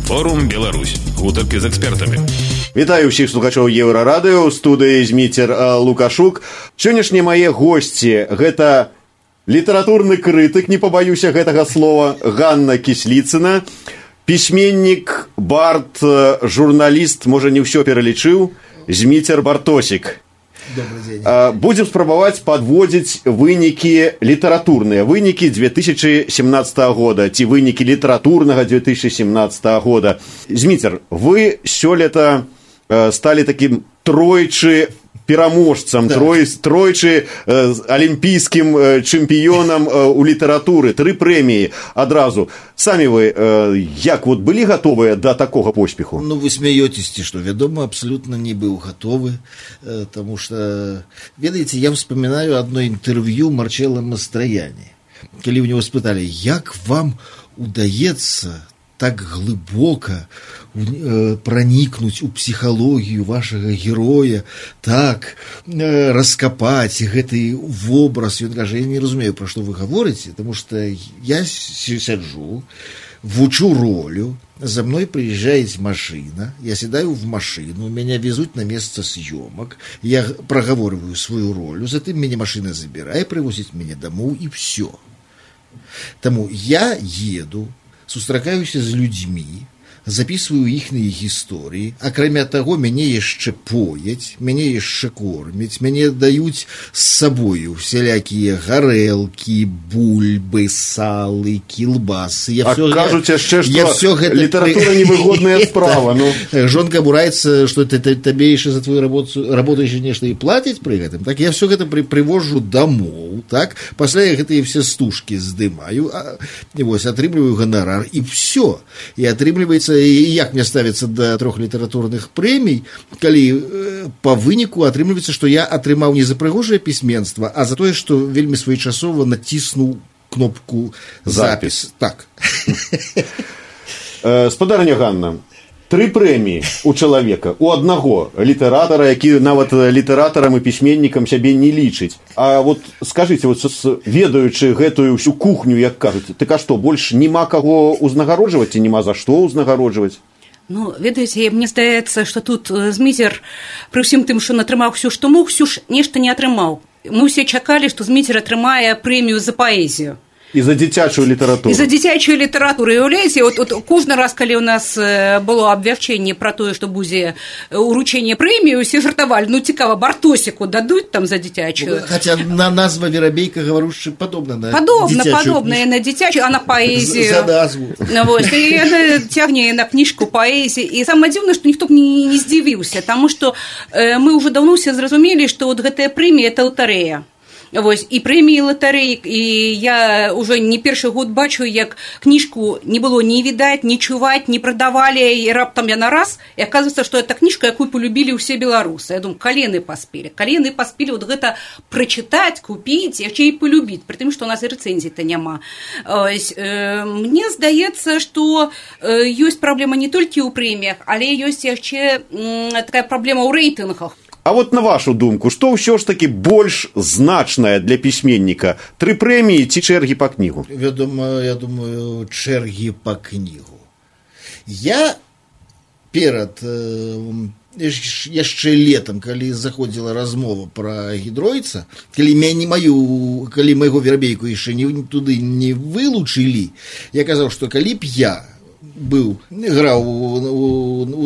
Форум Беларусь. Гутарки з экспертамі. Вітаю ўсіх слухачоў Еўрарадыё, у студыі Зміцер Лукашук. Сённяшнія мае госці – гэта літаратурны крытык, не пабаюся гэтага слова, Ганна Кісліцына, пісьменнік, бард, журналіст, можа не ўсё пералічыў, Зміцер Бартосік. Будем спрабаваць падводзіць вынікі літаратурныя, вынікі 2017 года, ці вынікі літаратурнага 2017 года. Зміцер, вы сёлета сталі такім тройчы пераможцам, тройчы алімпійскім чэмпіёнам у літаратуры, 3 прэміі адразу. Самі вы як вот былі гатовыя да такога поспеху? Ну, вы смеетесь, что, вядома, абсолютно не был готовы, потому что, ведаеце, я вспоминаю одно интервью Марчелло Мастрояни, когда у него спытали, як вам удаецца так глыбока проникнуть у психологию вашего героя, так раскопать гэты вобраз. Ён кажа, я не разумею, про что вы говорите, потому что я сяджу, вучу ролю, за мной приезжает машина, я седаю в машину, меня везут на место съемок, я проговариваю свою роль, затем меня машина забирает, привозит меня домой, и все. Тому я еду, сустракаюся з людзьмі, записываю іхныя гісторыі, акрамя таго, мяне яшчэ пояць, мяне яшчэ кормяць, мяне даюць з сабою всялякія гарэлкі, бульбы, салы, кілбасы. Кажуць яшчэ, што літаратура невыгодная справа. Жонка бураецца, што табе яшчэ за твою работу яшчэ нешта і плаціць пры гэтым. Так я все гэта привожу домоў, так? Пасля я гэтыя все стужкі здымаю, вось, атрымліваю ганарар, і все. І атрымліваецца, і як мне ставіцца да 3 літаратурных прэмій, калі па выніку атрымліваецца, што я атрымаў не за прыгожае пісьменства, а за тое, што вельмі своечасова націснуў кнопку «Запіс». Так. Спадарня Ганна, 3 прэміі у чалавека, у аднаго літаратара, які нават літаратарам і пісьменнікам сябе не лічыць. А вот скажыце, вот, ведаючы гэтую ўсю кухню, як кажуць, так а што, больш няма каго ўзнагароджваць ці няма за што ўзнагароджваць? Ну, ведаеце, мне здаецца, што тут Зміцер, пры ўсім тым, што натрымаў ўсё, што мог, ўсё ж нешта не атрымаў. Мы ўсе чакалі, што Зміцер атрымае прэмію за паэзію. І за дзіцячую літаратуру. І за дзіцячую літаратуру. І уявляеце, от кожны раз, калі у нас было абвяшчэнне пра тое, што будзе уручэнне прэміі, усе жартавалі, ну цікава, Бартосіку дадуць там за дзіцячую. Хаця назва Верабейка гаварушчы падобна на дзіцячую. Падобная на дзіцячую, а на паэзію. За назву. Вось, і яна цягне на кніжку паэзіі. І самае дзіўнае, што ніхто б не здзівіўся, таму што мы ўжо даўно ўсе зразумелі, што от гэтая прэмія – это латарэя. Вось, і прэміі латарэі, і я ўжо не першы год бачу, як кніжку не было ні відаць, ні чуваць, не прадавалі, і раптам яна раз, і аказваецца, што это кніжка, якую полюбілі ўсе беларусы. Я думаю, калены паспелі вот гэта прачытаць, купіць, яшчэ і полюбіць, пры тым, што у нас і рэцэнзій-то няма. Мне здаецца, што ёсць праблема не толькі ў прэміях, але ёсць яшчэ такая праблема ў рэйтынгах. А вот на вашу думку, што ўсё ж такі больш значнае для пісьменніка? 3 прэміі ці чэргі па кнігу? Вядома, я думаю, чэргі па кнігу. Я перад яшчэ летам, калі заходзіла размова пра гідройца, калі майго Верабейку яшчэ туды не вылучылі, я казаў, што калі б я играл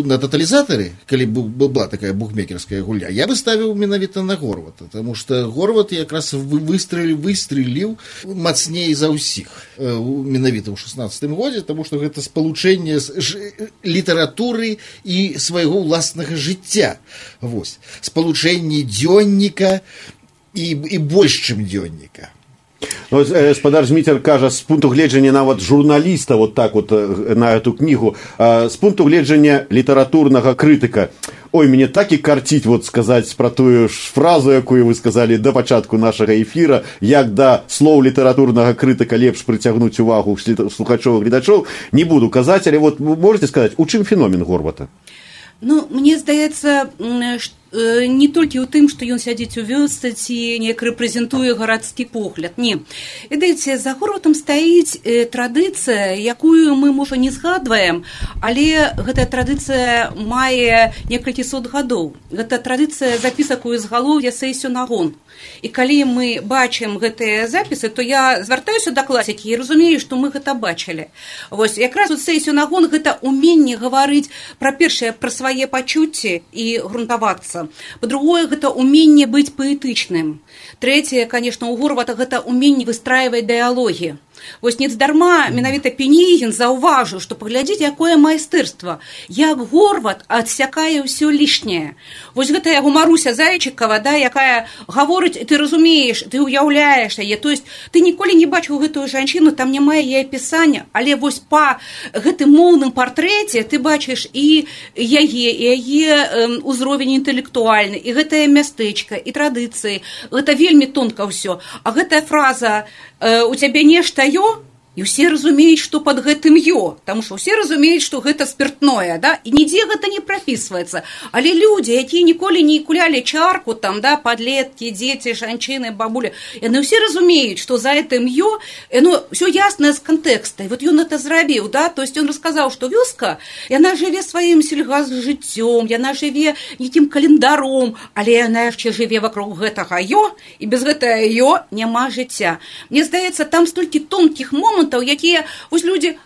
на тотализаторе, калі была такая букмекерская гульня, я бы ставил менавіта на Горвата, потому что Горват якраз выстрелил мацней за ўсіх менавіта ў 16 годзе, потому что гэта спалучэнне літаратуры і свайго ўласнага жыцця. Вось. Спалучэнне дзённіка і больш, чым дзённіка. Ну, спадар Зміцер кажа, з пункту гледжання нават журналіста вот так вот на эту кнігу, з пункту гледжання літаратурнага крытыка. Ой, мне так і карціць вот сказаць пра тую ж фразу, якую вы сказалі да пачатку нашага эфіра, як да слоў літаратурнага крытыка лепш прыцягнуць увагу слухачоў і гледачоў, не буду казаць, але вот можете сказаць, у чым феномен Горвата? Ну, мне здаецца, не толькі ў тым, што ён сядзіць у вёсцы ці неяк рэпрэзентуе гарадскі погляд. Не. Ведаеце, за Горватам стаіць традыцыя, якую мы, можа, не згадваем, але гэтая традыцыя мае некалькі сот гадоў. Гэта традыцыя запісак у ізгалоўя Сейсюнагон. І калі мы бачым гэтыя запісы, то я звяртаюся да класікі і разумею, што мы гэта бачылі. Вось, якраз Сейсюнагон гэта уменне гаварыць пра першае, пра свае пачуцці і грунтавацца. Па-другое, гэта уменне быць паэтычным. Трэцяе, конечно, у Горвата гэта уменне выстраиваць дыялогі. Вось нездарма менавіта Пенігін заўважыў, што паглядзіць, якое майстэрства, як Горват адсякае ўсё лішняе. Вось гэта яго Маруся Зайчыкава, да, якая гаворыць, ты разумееш, ты ўяўляеш яе, то есть ты ніколі не бачыў гэтую жанчыну, там няма яе апісання, але вось па гэтым моўным партрэце ты бачыш і яе ўзровень інтэлектуальны, і гэтае мястэчка, і традыцыі, гэта вельмі тонка ўсё. А гэтая фраза «у цябе нешта ё», і ўсе разумеюць, што пад гэтым ё, таму што ўсе разумеюць, што гэта спиртное, да, і нідзе гэта не прапісваецца. Але людзі, якія ніколі не кулялі чарку, там, да, падлеткі, дзеці, жанчыны, бабулі, яны ўсе разумеюць, што за гэтым ё, яно ўсё яснае з кантэкста. І вот ён гэта зрабіў, да, то есть ён расказаў, што вёска, яна жыве сваім сельгасжыццём, яна жыве нейкім календаром, але яна яшчэ жыве вакруг гэтага ё, і без гэтага ё няма жыцця. Мне здаецца, там столькі тонкіх момантаў, якія вось людзі,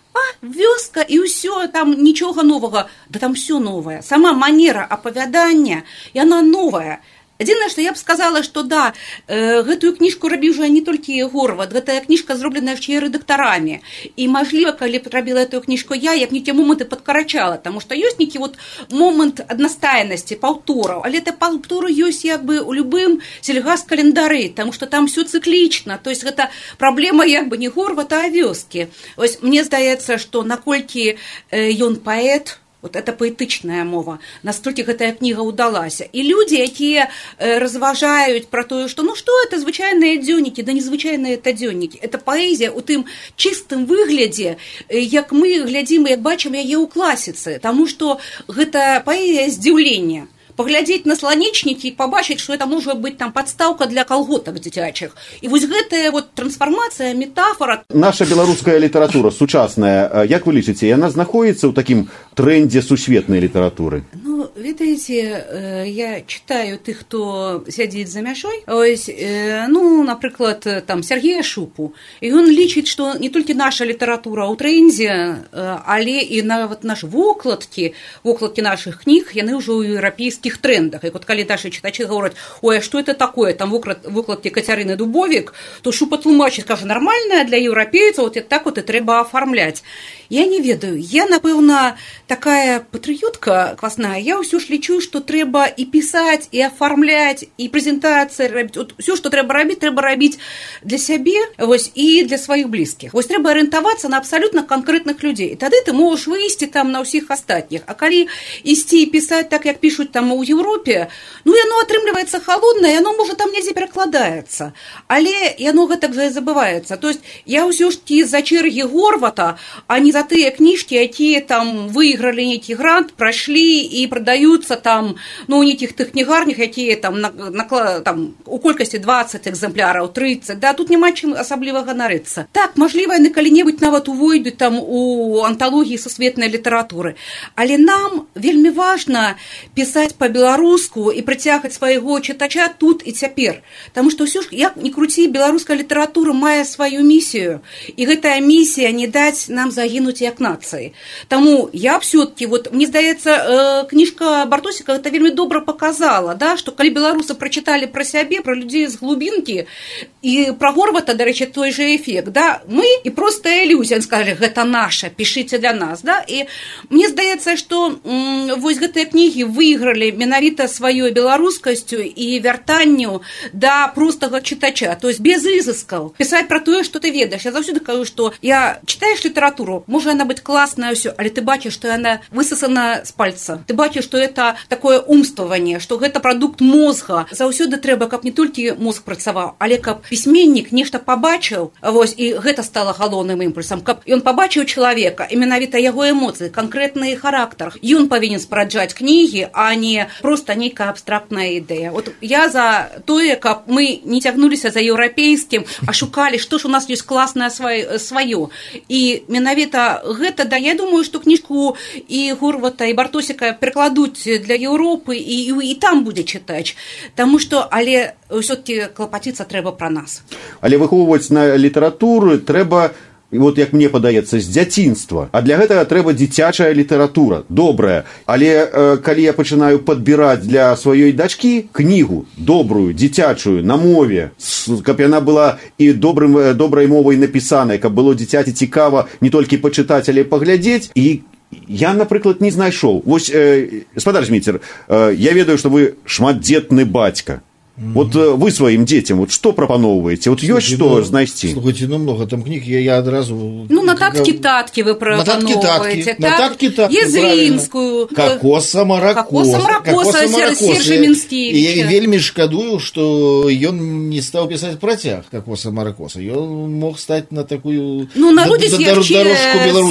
вёска і ўсё, там нічога новага, да там все новае. Сама манера апавядання, яна новая. Адзінае, што я б сказала, што да, гэтую кніжку рабіў жа не толькі Горват, гэтая кніжка зробленая яшчэ і рэдактарамі. І, мажліва, калі б рабіла эту кніжку я б нейкія моманты падкарачала, таму што ёсць нейкі вот момант аднастайнасці, паўтораў, але это паўторы ёсць як бы ў любым сельгас-календары, таму што там все цыклічна, то есть гэта праблема як бы не Горвата, а вёскі. Ось мне здаецца, што наколькі ён паэт, вот это паэтычная мова, настолькі гэтая кніга ўдалася. І людзі, якія разважаюць пра тое, што ну што это звычайныя дзённікі, да незвычайныя это дзённікі. Это паэзія ў тым чыстым выглядзе, як мы глядзім і як бачым яе ў класіцы, таму што гэта паэзія здзіўлення. Паглядзець на сланечнікі і пабачыць, што это можа быць там падстаўка для калготак дзіцячых. І вось гэтая вот трансфармацыя, метафора. Наша беларуская літаратура сучасная, як вы лічыце, яна знаходзіцца ў такім трендзе сусветнай літаратуры? Ну, ведаеце, я читаю тых, хто сядзіць за мяжой. Ось, ну, напрыклад, там Сергея Шупу. І ён лічыць, што не толькі наша літаратура ў трендзе, але і нават наши вокладкі нашых кніг, яны ўжо ў еўрапейскіх трендах. І вот калі наши читачы говорят, ой, а что это такое, там выкладки Кацярыны Дубовик, то Шупа тлумачыць, кажа, нормальная для еўрапейцаў, вот так вот и трэба оформлять. Я не ведаю, я, напэўна, такая патрыётка квасная, я ўсё ж лічу, што трэба і пісаць, і аформляць, і прэзентацыі рабіць. Вот ўсё, што трэба рабіць для сябе, вось, і для сваіх блізкіх. Вось трэба арыентавацца на абсалютна канкрэтных людзей. І тады ты можаш выйсці там на ўсіх астатніх. А калі ісці і пісаць так, як пішуць там у Еўропе, ну, яно атрымліваецца халоднае, яно, можа, там недзе перакладаецца. Але яно гэтак жа і забываецца. То есть я ўсё ж такі за чэргі Горвата, а не за тыя кніжкі, якія там выйгралі нейкі грант, прайшлі і прадаюцца там, ну, у нейкіх тых кнігарнях, якія там, там у колькасці 20 экземпляраў, 30, да, тут няма чым асабліва ганарыцца. Так, мажліва, яны калі-небудзь нават увойдуць там у анталогіі сусветнай літаратуры. Але нам вельмі важна пісаць па-беларуску і прыцягваць свайго чытача тут і цяпер. Таму што ўсё ж, як ні круці, беларуская літаратура мае сваю місію, і гэтая місія не даць нам загінуць як нацыі. Таму я все-таки, вот, мне здаецца, кніжка Бартосіка гэта вельмі добра показала, да, што калі беларусы прачыталі пра сябе, пра людзей з глубінкі, і пра Горвата, дарэчы, той же эфект, да, мы і простая ілюзія, сказалі, гэта наша, пішыце для нас, да, і мне здаецца, што вось гэтыя кнігі выйгралі менавіта сваёй беларускасцю і вяртанню да простага чытача, то есть без ізыскаў, пісаць пра тое, што ты ведаеш. Я заўсёды кажу, што я читаеш літаратуру, можа яна быць класная ўсё, але ты бачыш, што яна высасана з пальца. Ты бачыш, што што это такое умстваванне, што гэта прадукт мозга. Заўсёды трэба, каб не толькі мозг працаваў, але каб пісьменнік нешта пабачыў, вось, і гэта стала галоўным імпульсам, каб ён пабачыў чалавека, і менавіта яго эмоцыі, канкрэтны характар. Ён павінен спараджаць кнігі, а не проста нейкая абстрактная ідэя. От я за тое, каб мы не цягнуліся за еўрапейскім, а шукалі, што ж у нас ёсць класнае сваё. І менавіта гэта, да, я думаю, што кніжку і Горвата, і Бартосіка перакладуць для Еўропы, і там будзе чытач. Таму што, але ўсё-таки клапаціцца трэба пра нас. Але выхоўваць на літаратуру трэба, вот як мне падаецца, з дзяцінства. А для гэтага трэба дзіцячая літаратура, добрая. Але калі я пачынаю падбіраць для сваёй дачкі кнігу добрую, дзіцячую, на мове, каб яна была і добрай мовай напісаная, каб было дзіцяці цікава не толькі пачытаць, але паглядзець, і я, напрыклад, не знайшоў. Вось, гаспадар Зміцер, я ведаю, што вы шматдзетны бацька. Вот вы сваім дзецям вот што прапаноўваеце? Вот ёсць што знайсці? Слухайте, много там кніг, я адразу... Ну, нататкі-таткі вы прапаноўваеце. Нататкі-таткі, Езрінскую. Кокоса Маракоса Сержа Мінскевіча. Я вельмі шкадую, што ён не стаў пісаць працяг Кокоса Маракоса. Ён мог стаць на такую... Ну, народзіць яшчэ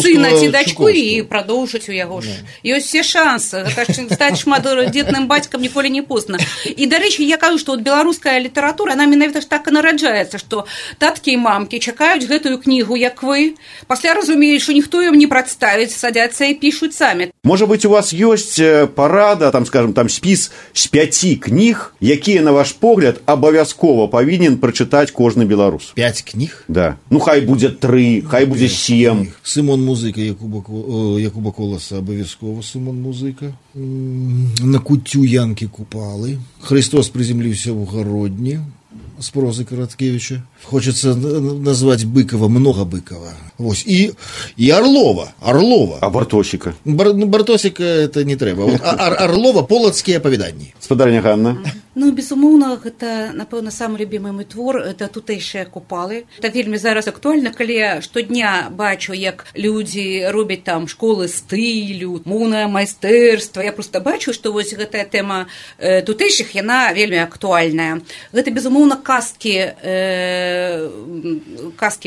сына ці дачку і прадоўжыць у яго ж. Ёсць все шансы. Стаць шматдзетным бацькам ніколі не позна. І, дарэчы, я кажу, што беларуская літаратура, она менавіта ж так і нараджаецца, што таткі і мамкі чакаюць гэтую кнігу, як вы, пасля разумеюць, што ніхто ім не прадставіць, садзяцца і пішуць самі. Можа быць, у вас ёсць парада, там, скажем, там спіс з 5 кніг, якія, на ваш погляд, абавязкова павінен прачытаць кожны беларус? 5 кніг? Да. Ну, хай будзе 3, хай будзе 7. Сымон Музыка Якуба Коласа, абавязкова Сымон Музыка. На куцю Янкі Купалы. Христос приземлился в Городне с прозы Короткевича. Хочется назвать Быкова, много Быкова. Вот. И Орлова. А Бартосіка? Бартосіка это не трэба. Вот, Орлова, полацкія апавяданні. Спадарня Ганна. Ну, безумоўна, гэта, напэўна, самы любімы мой твор, это тутэйшыя Купалы. Это вельмі зараз актуальна, калі штодня бачу, як людзі робяць там школы стылю, моўнае майстэрства. Я просто бачу, што вось гэтая тэма тутэйшых, яна вельмі актуальная. Гэта, безумоўна, казкі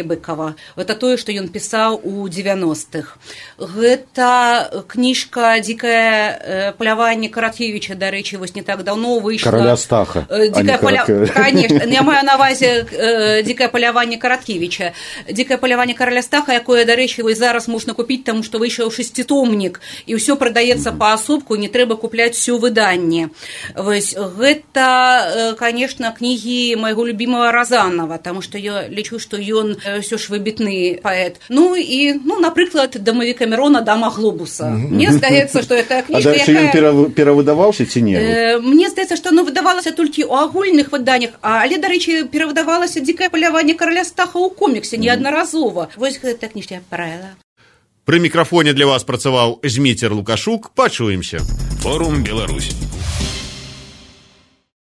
Быкова. Гэта тое, што ён пісаў у 90-х. Гэта кніжка «Дзікае паляванне» Караткевіча, дарэчы, вось не так даўно выйшла. Караля Стаха. Конечно, я маю на увазе «Дзікае паляванне» Караткевіча. «Дзікае паляванне» Караля Стаха, якое, дарэчы, вось зараз можна купіць, таму што выйшаў 6-томнік, і ўсё прадаецца паасобку, не трэба купляць усё выданне. Вось гэта, конечно, кнігі майго любимого Разанова, таму што я лічу, што ён ўсё ж выбітны паэт. Ну і, напрыклад, «Дамавік Камерона», «Дама глобуса». Мне здаецца, што гэта кніжка, якая... А дальше ён перавыдаваўся ці не? Мне здаецца, што оно выдавалася толькі ў агульных выданнях, але, дарэчы, перавыдавалася «Дзікае паляванне» Караля Стаха ў коміксе неаднаразова. Вось гэта кніжка правіла. Пры мікрафоне для вас працаваў Зміцер Лукашук. Пачуемся. Форум Беларусь.